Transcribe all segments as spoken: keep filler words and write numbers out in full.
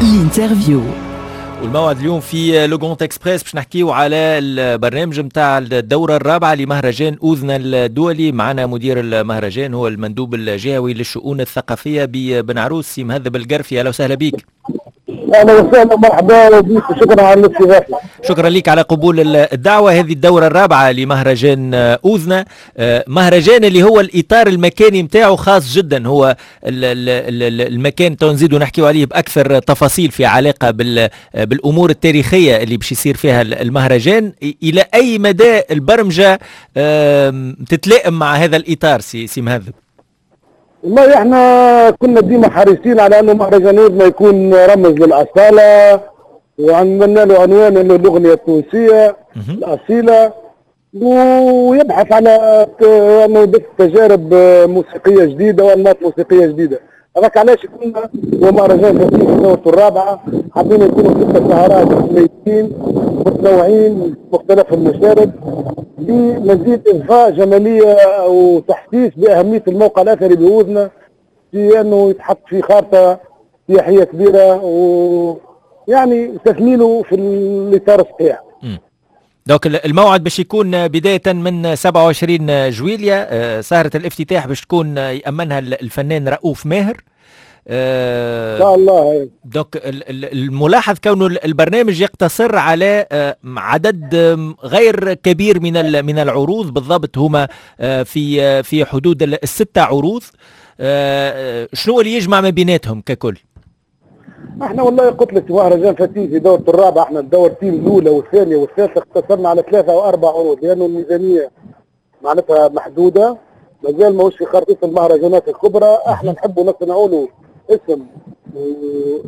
L'interview. والموعد اليوم في Le Grand Express باش نحكيو على البرنامج نتاع الدورة الرابعة لمهرجان أوذنة الدولي. معنا مدير المهرجان هو المندوب الجهوي للشؤون الثقافية ببن عروس، سي مهذب القرفي. اهلا وسهلا بك. اهلا وسهلا، مرحبا بك وشكرا على الاستضافه. شكرا لك على قبول الدعوة. هذه الدورة الرابعة لمهرجان اوذنه، مهرجان اللي هو الاطار المكاني نتاعو خاص جدا، هو المكان تو نزيدوا نحكيو عليه باكثر تفاصيل في علاقة بالامور التاريخية اللي باش يصير فيها المهرجان. الى اي مدى البرمجة تتلائم مع هذا الاطار سي سي مهذب؟ والله احنا كنا ديما حريصين على انه مهرجان أوذنة يكون رمز للاصاله، وعملنا له عنوان انه الاغنية التونسية الاصيله، ويبحث على انه يبث تجارب موسيقية جديدة وانماط موسيقية جديدة. هذاك علاش كنا ومهرجان في دورته الرابعة حابين يكونوا ست سهرات متميزين متنوعين مختلف المشارب لمزيد اضفاء جمالية وتحسيس باهمية الموقع الاثري باوذنه في انه يتحط في خارطة سياحية كبيرة ويعني تثمينه في الاطار الصحيح. donc الموعد باش يكون بداية من سبعة وعشرين جويليا، سهرة الافتتاح باش تكون يأمنها الفنان رؤوف ماهر. ان شاء الله. donc الملاحظ كونه البرنامج يقتصر على عدد غير كبير من من العروض، بالضبط هما في في حدود الستة عروض. شنو اللي يجمع ما بيناتهم ككل؟ احنا والله قلت لك مهرجان فاتين في دورة الرابعة، احنا الدورتين الاولى والثانية والثالثة اقتصرنا على ثلاثة او اربع عروض لانه الميزانية معناتها محدودة، مازال ماهوش في خريطة المهرجانات الكبرى. احنا نحبوا نصنعوا له اسم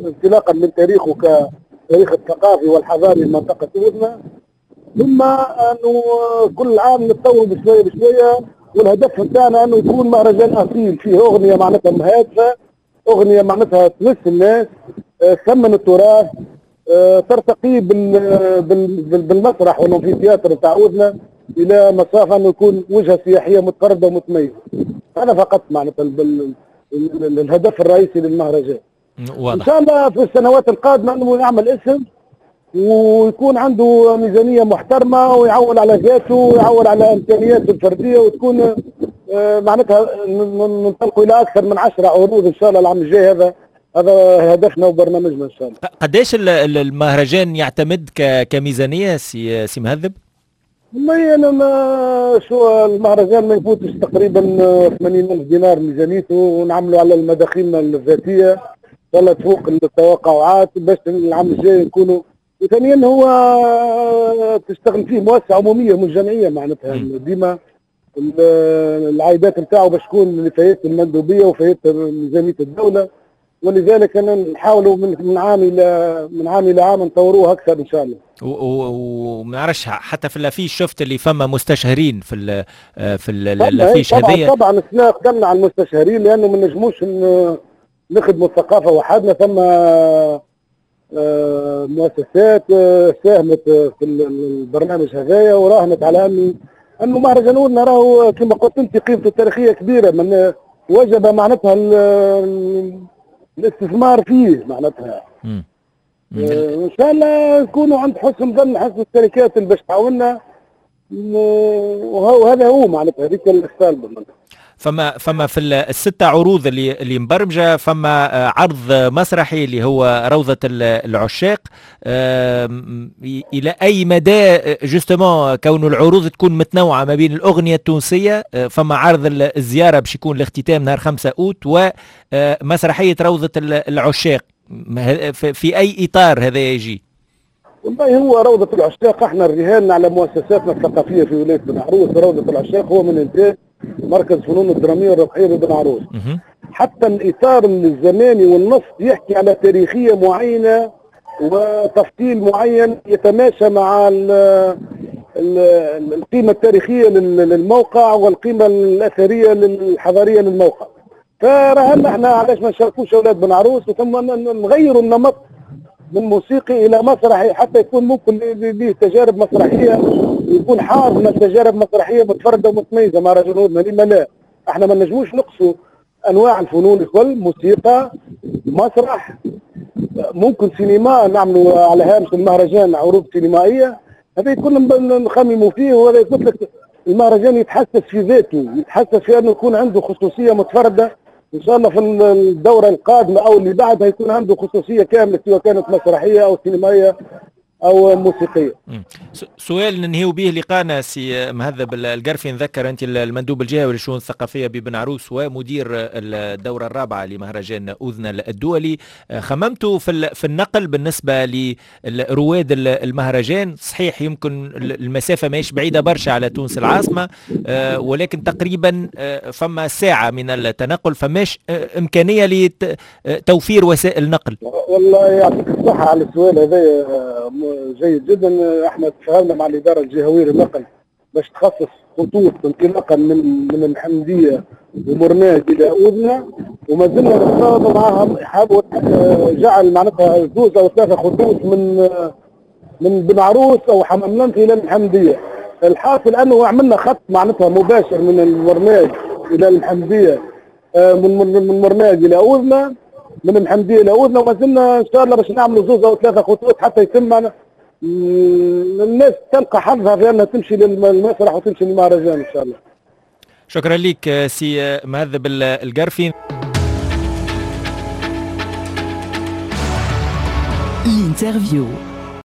انطلاقا من تاريخه كتاريخ الثقافي والحضاري لمنطقة أوذنة، ثم انه كل عام نتطوروا بشوية بشوية، والهدف نتاعنا انه يكون مهرجان اصيل فيه اغنية معناتها مهادفة، اغنية معناتها تمس الناس، ثمن التراث، ترتقي بالمسرح وال amphithéâtre نتاع أوذنة الى مسافة انه يكون وجهه سياحية متفردة ومتميزه. هذا فقط معناتها الهدف الرئيسي للمهرجان. واضح. ان شاء الله في السنوات القادمة انه يعمل اسم ويكون عنده ميزانية محترمه ويعول على ذاته ويعول على امكانياته الفردية، وتكون معناتها ننطلقوا الى اكثر من عشرة عروض ان شاء الله العام الجاي. هذا هذا هدفنا وبرنامجنا ان شاء الله. قداش المهرجان يعتمد كميزانيه سي سي مهذب؟ والله انا ما شو المهرجان ما يفوتش تقريبا ثمانين ألف دينار ميزانيته، ونعملوا على المداخيل الذاتية ان شاء الله تفوق التوقعات باش العام الجاي نكونوا. وثانيا هو تشتغل فيه مؤسسة عموميه مش جمعية، معناتها ديما العائدات نتاعو باش تكون لفائدة المندوبيه وفائدة ميزانية الدولة، ولذلك انا نحاولوا من من عام الى من عام الى عام نطوروه اكثر ان شاء الله. وما نعرفش حتى في l'affiche شفت اللي فما مستشهرين في ال في l'affiche هذيا. طبعا طبعا السنة قدمنا على المستشهرين لانه ما نجموش نخدموا الثقافة وحدنا، ثم مؤسسات ساهمت في البرنامج هذايا وراهنت على انه انه مهرجان أوذنة راهو كما قلت انت قيمته التاريخية كبيرة، من وجب معناتها الاستثمار فيه معناتها. آه ان شاء الله نكونوا عند حسن ظن حسن الشركات اللي باش تعاوننا، وهذا هو معناتها هذيك السالبه. فما فما في الستة عروض اللي اللي مبرمجه، فما عرض مسرحي اللي هو روضة العشاق. الى اي مدى justement كون العروض تكون متنوعة ما بين الاغنية التونسية، فما عرض الزيارة باش يكون الاختتام نهار خمسة اوت، ومسرحيه روضة العشاق، في اي اطار هذا يجي؟ والله هو روضة العشاق احنا رهنا على مؤسساتنا الثقافية في ولاية بن عروس. روضة العشاق هو من انتاج مركز فنون الدرامية والرقحيه ببن عروس. حتى الاطار الزماني والنص يحكي على تاريخية معينة وتفصيل معين يتماشى مع ال ال القيمة التاريخية للموقع والقيمة الاثرية الحضارية للموقع. فرهنا احنا علاش ما نشاركوش اولاد بن عروس، وثم نغيروا النمط من موسيقي الى مسرحي حتى يكون ممكن ليه تجارب مسرحية، يكون حاضنة تجارب مسرحية متفردة ومتميزه. مهرجان أوذنة لما لا؟ احنا ما نجموش نقصوا انواع الفنون الكل، موسيقى، مسرح، ممكن سينما، نعملوا على هامش المهرجان عروض سينمائية. هذا كل نخمموا فيه، وهذا قلت لك المهرجان يتحسس في ذاته، يتحسس في انه يكون عنده خصوصية متفردة. ان شاء الله في الدورة القادمة او اللي بعدها يكون عنده خصوصية كاملة، سواء كانت مسرحية او سينمائية او موسيقية. سؤال ننهيو به لقانا سي مهذب القرفي، نذكر انت المندوب الجهوي للشؤون الثقافية ببن عروس ومدير الدورة الرابعة لمهرجان اوذنة الدولي، خممتوا في في النقل بالنسبة لرواد المهرجان؟ صحيح يمكن المسافة ماهيش بعيدة برشا على تونس العاصمة، ولكن تقريبا فما ساعة من التنقل، فماش امكانية لتوفير وسائل نقل؟ والله يعطيك الصحة على السؤال هذا، جيد جدا. احنا تفاهمنا مع الادارة الجهوية للنقل باش تخصص خطوط انطلاقا من من المحمدية ومرناج الى اوذنه، وما زلنا نتفاوض معاهم، جعل معناتها زوج او ثلاثة خطوط من من بن عروس او حمام لنف الى المحمدية. الحاصل انه عملنا خط معناتها مباشر من المرناج الى المحمدية، من من مرناج الى اوذنه، من المحمدية الى اوذنه، وما زلنا ان شاء الله باش نعملوا زوج او ثلاثة خطوط حتى يتم الناس تلقى حظها في انها تمشي للمسرح وتمشي للمهرجان ان شاء الله. شكرا لك سي مهذب القرفي. L'interview.